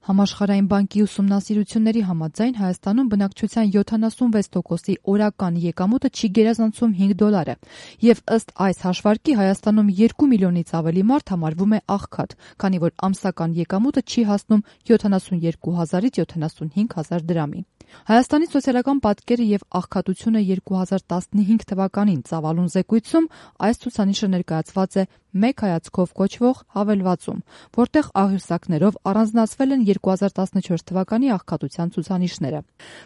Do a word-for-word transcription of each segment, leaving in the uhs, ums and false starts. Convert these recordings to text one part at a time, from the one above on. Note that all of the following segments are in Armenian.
Համաշխարհային բանկի ուսումնասիրությունների համաձայն Հայաստանում բնակչության յոթանասունվեց տոկոսի օրական եկամուտը չի գերազանցում հինգ դոլար է, եւ ըստ այս հաշվարկի Հայաստանում երկու միլիոնից ավելի մարդ համարվում է աղքատ, քանի որ ամսական եկամուտը չի հասնում յոթանասունյոթ հազարից յոթանասունհինգ հազար դրամի։ Հայաստանի սոցիալական պատկերը եւ աղքատությունը երկու հազար տասնհինգ թվականին ծավալուն զեկույցում այս ցուցանիշը ներկայացված է մեկ հայացքով կոչվող հավելվածում, որտեղ աղյուսակներով առանձնացվել են երկու հազար տասնչորս թվականի աղքատության ցուցանիշները։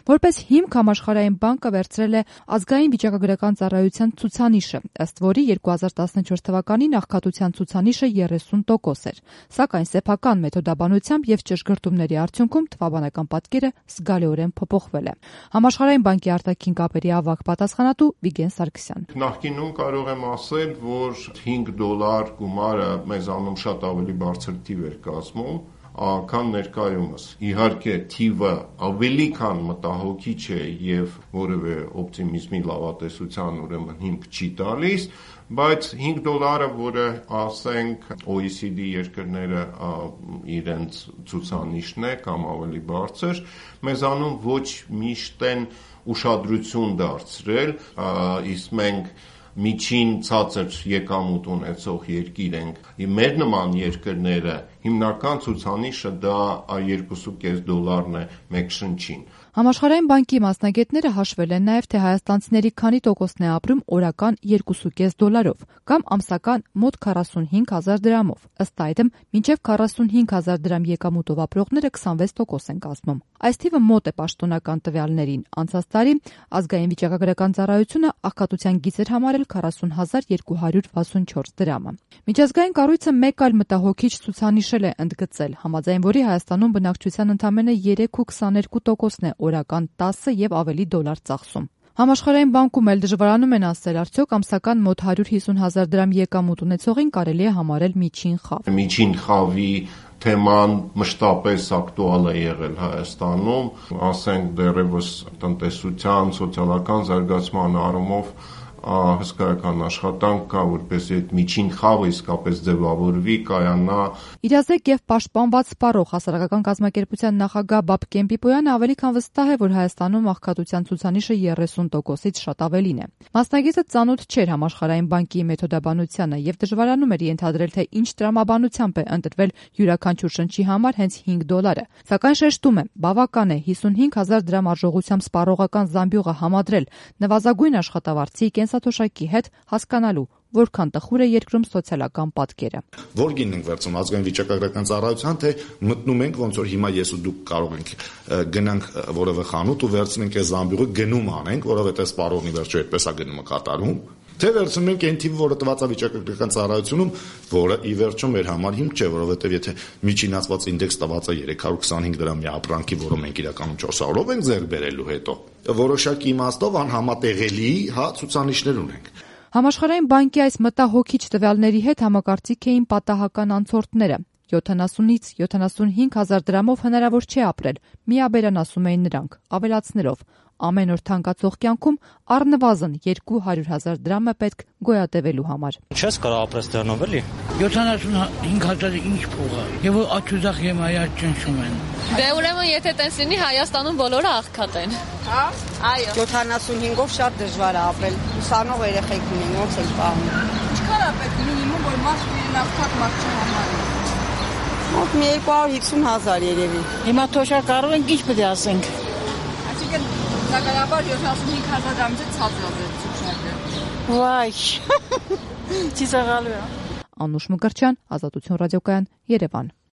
Որպես հիմք Համաշխարհային բանկը վերցրել է ազգային վիճակագրական ծառայության ցուցանիշը, ըստ որի երկու հազար տասնչորս թվականին աղքատության ցուցանիշը երեսուն տոկոս էր, սակայն սեփական մեթոդաբանությամբ եւ ճշգրտումների արդյունքում թվաբանական պատկերը զգալիորեն փոփոխվել է։ Համաշխարհային բանկի արտաքին կապերի ավագ պատասխանատու Վիգեն Սարգսյան։ Նախկինում կարող եմ ասել, որ հինգ դոլար գումարը մեզանում շատ ավելի բարձր թիվ էր կազմում, քան ներկայումս։ Իհարկե, թիվը ավելի քան մտահոգիչ է եւ որևէ օպտիմիզմի լավատեսության ուրեմն հիմք չի տալիս, բայց հինգ դոլարը, որը ասենք O E C D երկրները իրենց ցուցանիշն է կամ ավելի բարձր, մեզանում ոչ միշտ են ուշադրություն դարձրել, իսկ մենք միջին ցածր եկամուտ ունեցող երկիր ենք։ Մեր նման երկրները հիմնական ցուցանիշը դա երկու կես դոլարն է մեկ շնչին։ Համաշխարհային բանկի մասնագետները հաշվել են նաև, թե հայաստանցիների քանի տոկոսն է ապրում օրական երկու կես դոլարով կամ ամսական մոտ քառասունհինգ հազար դրամով։ Ըստ այդմ, մինչև քառասունհինգ հազար դրամ եկամուտով ապրողները քսանվեց տոկոս են կազմում։ Այս թիվը մոտ է պաշտոնական տվյալներին։ Անցած տարի ազգային վիճակագրական ծառայությունը աղքատության գիծ էր համարել քառասուն հազար երկու հարյուր վաթսունչորս դրամը։ Միջազգային կառույցը մեկ այլ մտահոգիչ ցուցանիշ է ընդգծել, համաձայն որի Հայաստանում բնակչության ընդամենը երեք ու քսաներկու տոկոսն է օրական տասը եւ ավելի դոլար ծախսում։ Համաշխարհային բանկում էլ դժվարանում են ասել, արդյոք ամսական մոտ հարյուր հիսուն հազար դրամ եկամուտ ունեցողին կարելի է համարել միջին խավ։ Միջին խավի թեման մշտապես ակտուալ է եղել Հայաստանում, ասենք դեռևս տնտեսության, սոցիալական զարգացման առումով հսկայական աշխատանք կա, որպեսզի այդ միջին խավը իսկապես ձևավորվի, կայանա։ Իրազեկ եւ պաշտպանված սպառող հասարակական կազմակերպության նախագահ Բաբկեն Պիպոյանը ավելի քան վստահ է, որ Հայաստանում աղքատության ցուցանիշը երեսուն տոկոսից շատ ավելին է։ Մասնագետը ծանոթ չէր Համաշխարհային բանկի մեթոդաբանությանը եւ դժվարանում էր ենթադրել, թե ինչ տրամաբանությամբ է ընտրվել յուրաքանչյուր շնչի համար հենց հինգ դոլարը։ Սակայն շեշտում է, բավական է հիսունհինգ հազար դրամ արժողությամբ սպառողական զամբյուղը համադրել նվազագույն աշխատավարձի կենսաթոշակի հետ հասկանալու, որքան տխուր է երկրում սոցիալական պատկերը։ Որ գինն ենք վերցում ազգային վիճակագրական ծառայության, թե մտնում ենք ոնց որ հիմա ես ու դուք կարող ենք գնանք որևէ խանութ ու վերցնենք այս զամբյուղը գնում անենք, որովհետեւ սպառողնի վերջո այդպես է գնումը կատարում, թե վերցնում ենք այն թիվը, որը տված է վիճակագրական ծառայությունում, որը ի վերջո մեր համար հիմք չէ, որովհետեւ եթե միջինացված ինդեքս տված է երեք հարյուր քսանհինգ դրամի ապրանքի, որը մենք իրականում չորս հարյուրով ենք ձեռք բերելու հետո, որոշակի իմաստով անհամատեղելի, հա, ցուցանիշներ ունենք։ Համաշխարհային բանկի այս մտահոգիչ տվյալների հետ համակարծիք էին պատահական անցորդները։ յոթանասունից յոթանասունհինգ հազար դրամով հնարավոր չէ ապրել, միաբերան ասում էին նրանք, ավելացնելով. ամեն օր թանկացող կյանքում առնվազն երկու հարյուր հազար դրամը պետք գոյատևելու համար։ Չես կարող ապրես դրանով, էլի։ յոթանասունհինգ հազարը ինչ փող է։ Եվ աչուզախ եմ այա ճնշում են։ Դե ուրեմն եթե տես լինի Հայաստանում բոլորը աղքատ են։ Հա? Այո։ յոթանասունհինգով շատ դժվար է ապրել։ Ուսանող երեխեք ունեն, ոնց են պահում։ Ինչքան է պետք մինիմում, որ մաս լինեն աղքատ մարդ չհամարի։ Մոտ մի երկու հարյուր հիսուն հազար երևի։ Հիմա թոշակ կարող ենք ինչ պետք է ասենք։ Այսինքն Սակայաբար յոթանասունհինգ հազար դրամից ցածր է ցուցակը։ Վայ։ Չի սաղալու է։ Անուշ Մկրտչյան, Ազատություն ռադիոկայան, Երևան։